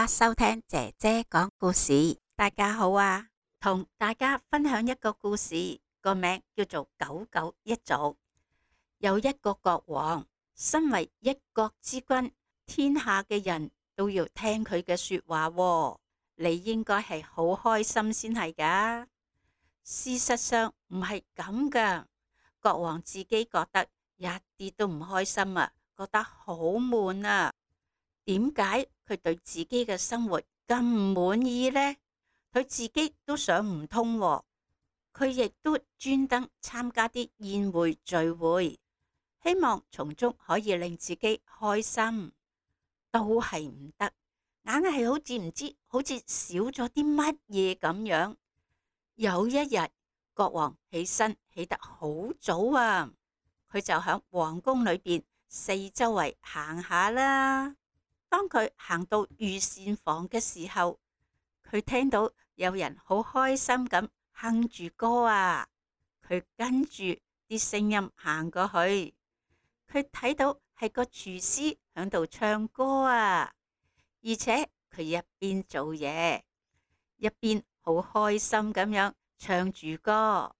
家收聽姐姐講故事。大家好啊，同大家分享一個故事，個名叫做九九一族。有一個國王，身為一國之君，天下嘅人都要聽佢嘅說話喎。你應該係好開心先係噶。事實上唔係咁噶，國王自己覺得一啲都唔開心啊，覺得好悶啊。點解佢對自己嘅生活咁唔滿意呢？佢自己都想唔通喎。佢亦都專登參加啲宴會聚會，希望從中可以令自己開心，都係唔得，硬係好似少咗啲乜嘢咁樣。有一日，國王起身起得好早啊，佢就響皇宮裏邊四周圍行下啦。當佢行到御膳房嘅時候，佢聽到有人好開心咁哼住歌啊。佢跟住啲聲音行過去，佢睇到係個廚師響度唱歌啊，而且佢一邊做嘢，一邊好開心咁樣唱住歌。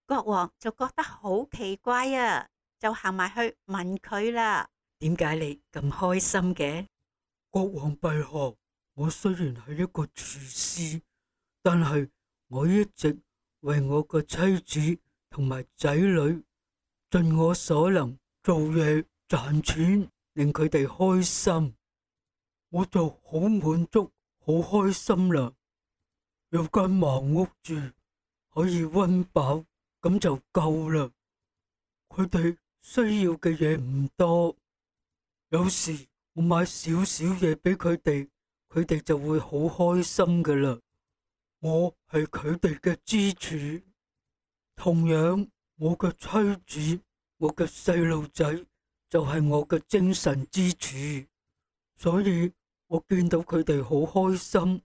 國王就覺得好奇怪啊，就行埋去問佢啦：點解你咁開心嘅？國王陛下，我雖然係一個廚師，但係我一直為我嘅妻子同埋仔女盡我所能做嘢賺錢，令佢哋開心，我就好滿足、好開心啦。有間茅屋住，可以溫飽，咁就夠啦。佢哋需要嘅嘢唔多，有時我買少少嘢俾佢哋，佢哋就會好開心噶啦。我係佢哋嘅支柱，同樣我嘅妻子、我嘅細路仔就係我嘅精神支柱。所以我見到佢哋好開心，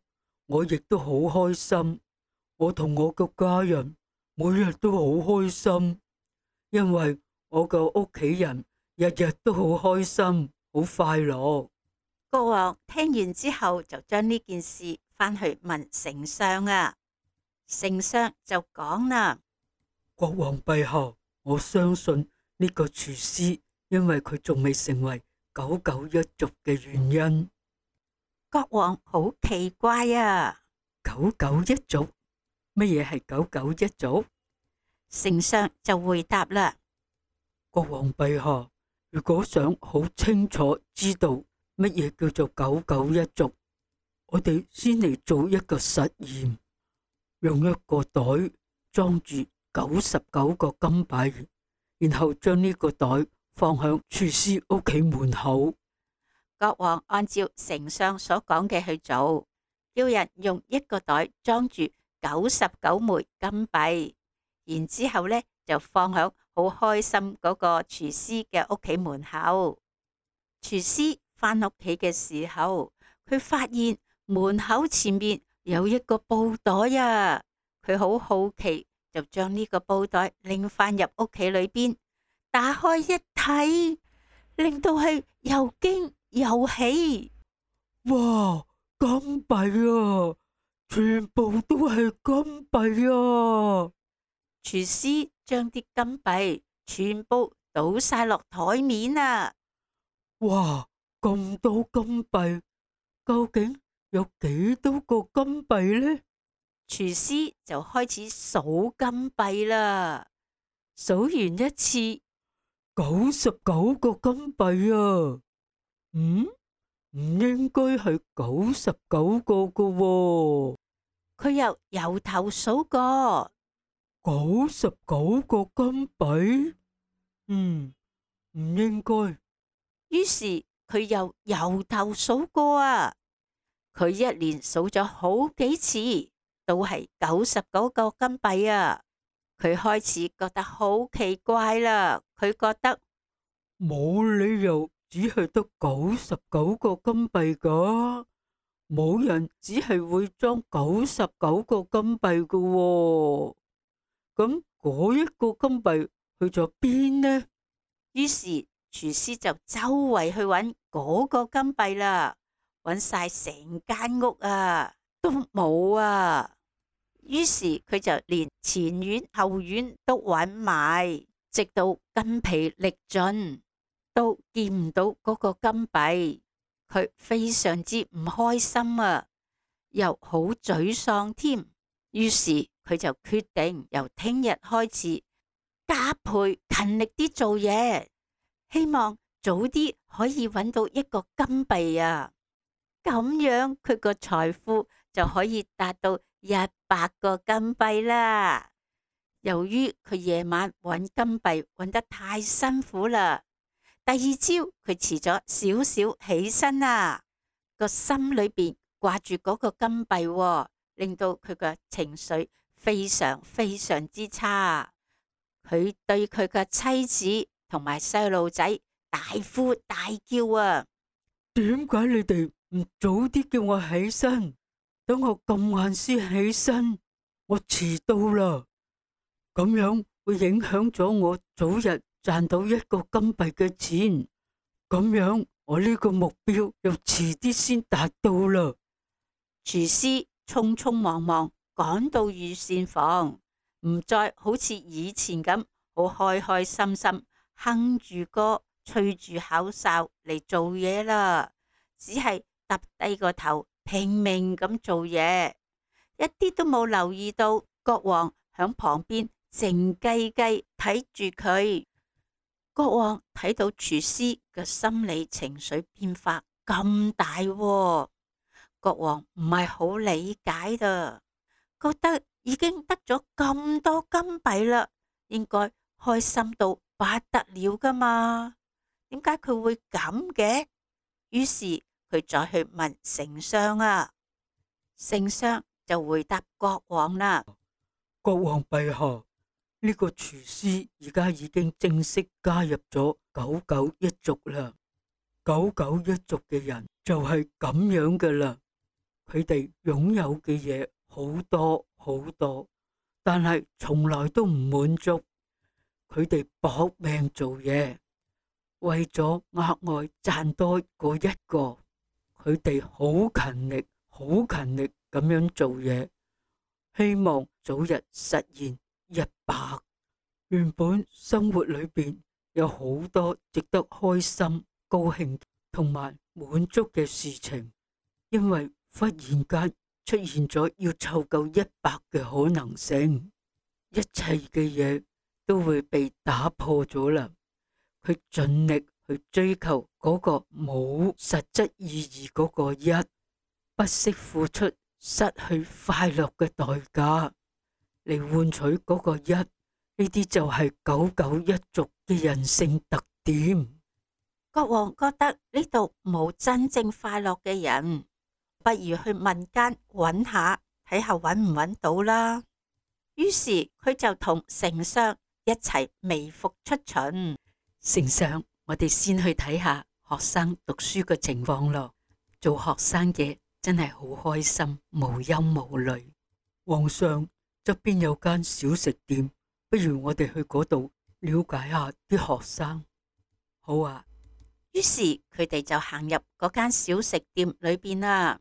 我亦都好開心。我同我嘅家人每日都好開心，因為我嘅屋企人日日都好開心。好快樂。國王聽完之後就將呢件事返去問丞相啊。丞相就講啦：國王陛下，我相信呢個廚師因為佢仲未成為九九一族嘅原因。國王好奇怪啊！九九一族？乜嘢係九九一族？丞相就回答啦：國王陛下，如果想好清楚知道乜嘢叫做九九一族，我哋先嚟做一個實驗，用一個袋裝住99個金幣，然後將呢個袋放響廚師屋企門口。國王按照丞相所講嘅去做，叫人用一個袋裝住99枚金幣，然之後呢就放響好開心嗰個廚師嘅屋企門口。廚師返屋企嘅時候，佢發現門口前面有一個布袋啊！佢好好奇，就將呢個布袋拎返入屋企裏邊，打開一睇，令到係又驚又喜。哇！金幣啊，全部都係金幣啊！廚師將啲金幣全部倒晒落台面啊！哇！咁多金幣，究竟有幾多個金幣呢？廚師就開始數金幣啦。數完一次，99個金幣啊！唔應該係99個噶喎。佢又由頭數過99個金幣，唔應該。於是佢又由頭數過啊！佢一連數咗好幾次，都係99個金幣啊！佢開始覺得好奇怪啦，佢覺得冇理由只係得99個金幣噶，冇人只係會裝99個金幣噶喎。咁嗰一個金幣去咗邊呢？於是廚師就周圍去揾嗰個金幣啦。揾晒成間屋啊，都冇啊。於是佢就連前院後院都揾埋，直到筋疲力盡，都見唔到嗰個金幣。佢非常之唔開心啊，又好沮喪添。於是佢就決定由聽日開始加倍勤力啲做嘢，希望早啲可以揾到一個金幣啊！咁樣佢個財富就可以達到100個金幣啦。由於佢夜晚揾金幣揾得太辛苦啦，第二朝佢遲咗少少起身啊，個心裏邊掛住嗰個金幣喎，令到佢嘅情緒非常非常之差。佢對佢嘅妻子同埋細路仔大呼大叫啊！點解你哋唔早啲叫我起身？等我咁晏先起身，我遲到啦。咁樣會影響咗我早日賺到一個金幣嘅錢。咁樣我呢個目標又遲啲先達到啦。廚師匆匆忙忙趕到御膳房，唔再好似以前咁好開開心心哼住歌吹住口哨嚟做嘢啦，只係揼低個頭拼命咁做嘢，一啲都冇留意到國王響旁邊靜雞雞睇住佢。國王睇到廚師嘅心理情緒變化咁大喎，國王唔係好理解噶，覺得已經得咗咁多金幣啦，應該開心到不得了噶嘛，點解佢會咁嘅？於是佢再去問丞相啊，丞相就回答國王啦：國王陛下，呢個廚師而家已經正式加入咗九九一族啦。九九一族嘅人就係咁樣噶啦，佢哋擁有嘅嘢好多好多，但係從來都唔滿足。佢哋搏命做嘢，為咗額外賺多過一個，佢哋好勤力，好勤力咁樣做嘢，希望早日實現100。原本生活裏邊有好多值得開心、高興同埋滿足嘅事情，因為忽然間出現咗要湊夠100嘅可能性，一切嘅嘢都會被打破咗啦。佢盡力去追求嗰個冇實質意義嗰個一，不惜付出失去快樂嘅代價嚟換取嗰個一。呢啲就係九九一族嘅人性特點。國王覺得呢度冇真正快樂嘅人，不如去民間揾下，睇下揾唔揾到啦。於是佢就同丞相一齊微服出巡。丞相，我哋先去睇下學生讀書嘅情況咯。做學生嘅真係好開心，無憂無慮。皇上，側邊有間小食店，不如我哋去嗰度了解下啲學生。好啊。於是佢哋就行入嗰間小食店裏邊啦。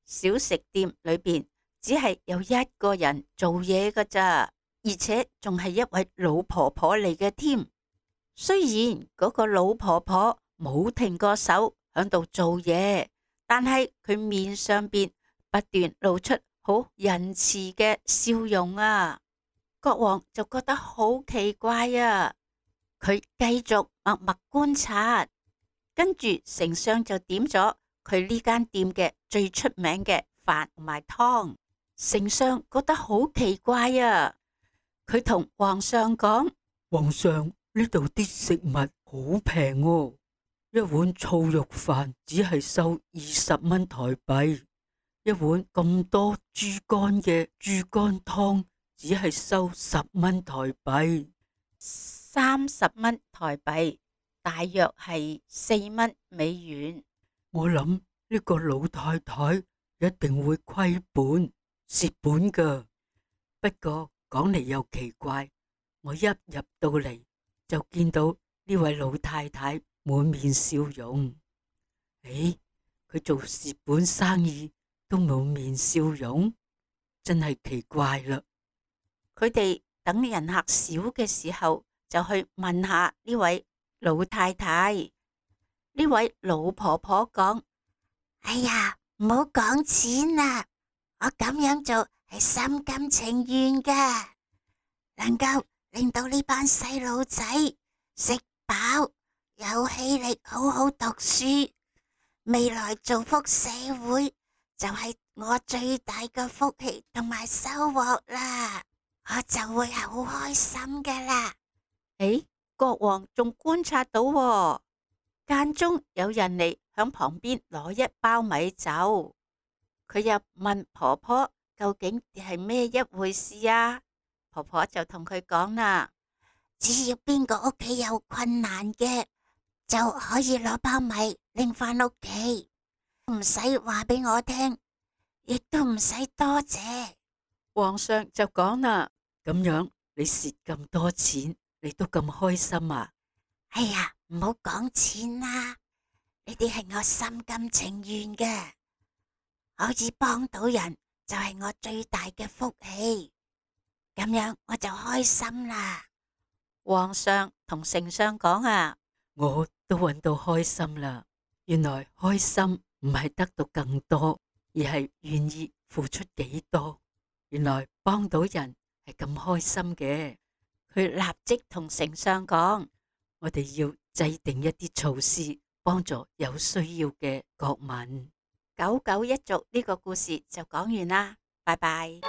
小食店裏邊只係有一個人做嘢㗎咋，而且仲係一位老婆婆嚟嘅添。雖然嗰個老婆婆冇停過手響度做嘢，但係佢面上邊不斷露出好仁慈嘅笑容啊。國王就覺得好奇怪啊，佢繼續默默觀察，跟住丞相就點咗佢呢間店嘅最出名嘅飯同埋湯。丞相覺得好奇怪啊，佢同皇上講：皇上，呢度啲食物好平哦，一碗醋肉飯只係收20蚊台幣，一碗咁多豬肝嘅豬肝湯只係收10蚊台幣，30蚊台幣，大約係4蚊美元。我諗呢個老太太一定會虧本蝕本噶。不過講嚟又奇怪，我一入到嚟就見到呢位老太太滿面笑容。誒，佢做蝕本生意都冇面笑容，真係奇怪啦。佢哋等人客少嘅時候，就去問下呢位老太太。呢位老婆婆講：哎呀，唔好講錢啦，我咁樣做係心甘情願噶，能夠令到呢班細路仔食飽，有氣力好好讀書，未來造福社會就係我最大嘅福氣同埋收穫啦，我就會好開心噶啦。誒，國王仲觀察到喎，間中有人嚟響旁邊攞一包米酒，佢又問婆婆究竟係咩一回事啊？婆婆就同佢講啦：只要邊個屋企有困難嘅，就可以攞包米拎返屋企，唔使話俾我聽，亦都唔使多謝。皇上就講啦：咁樣你蝕咁多錢，你都咁開心啊？哎呀，唔好講錢啦，呢啲係我心甘情願嘅，可以幫到人就係我最大嘅福氣，咁樣我就開心啦。皇上同丞相講啊：我都揾到開心啦，原來開心唔係得到更多，而係願意付出幾多。原來幫到人係咁開心嘅。佢立即同丞相講：我哋要制定一啲措施，幫助有需要嘅國民。九九一族呢個故事就講完啦，拜拜。